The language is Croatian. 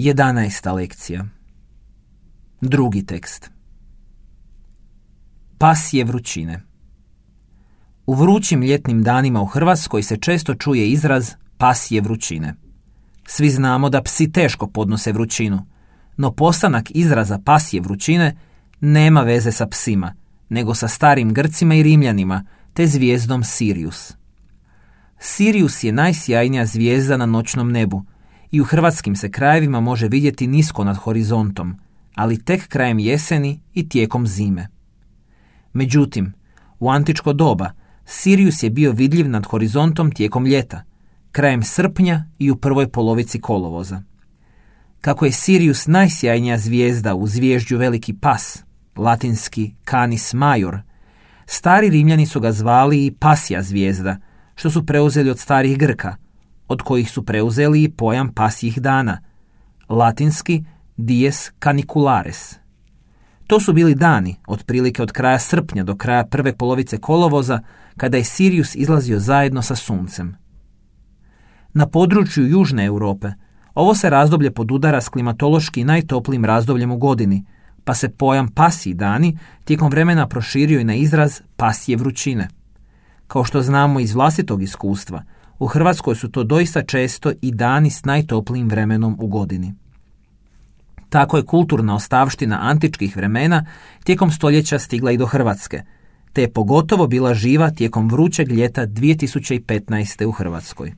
11. lekcija. Drugi tekst. Pasje vrućine. U vrućim ljetnim danima u Hrvatskoj se često čuje izraz pasje vrućine. Svi znamo da psi teško podnose vrućinu, no postanak izraza pasje vrućine nema veze sa psima, nego sa starim Grcima i Rimljanima, te zvijezdom Sirius. Sirius je najsjajnija zvijezda na noćnom nebu i u hrvatskim se krajevima može vidjeti nisko nad horizontom, ali tek krajem jeseni i tijekom zime. Međutim, u antičko doba Sirius je bio vidljiv nad horizontom tijekom ljeta, krajem srpnja i u prvoj polovici kolovoza. Kako je Sirius najsjajnija zvijezda u zvježđu Veliki pas, latinski Canis Major, stari Rimljani su ga zvali i pasja zvijezda, što su preuzeli od starih Grka, od kojih su preuzeli i pojam pasjih dana, latinski dies caniculares. To su bili dani, otprilike od kraja srpnja do kraja prve polovice kolovoza, kada je Sirius izlazio zajedno sa suncem. Na području Južne Europe ovo se razdoblje podudara s klimatološki najtoplijim razdobljem u godini, pa se pojam pasji dani tijekom vremena proširio i na izraz pasje vrućine. Kao što znamo iz vlastitog iskustva, u Hrvatskoj su to doista često i dani s najtoplijim vremenom u godini. Tako je kulturna ostavština antičkih vremena tijekom stoljeća stigla i do Hrvatske, te je pogotovo bila živa tijekom vrućeg ljeta 2015. u Hrvatskoj.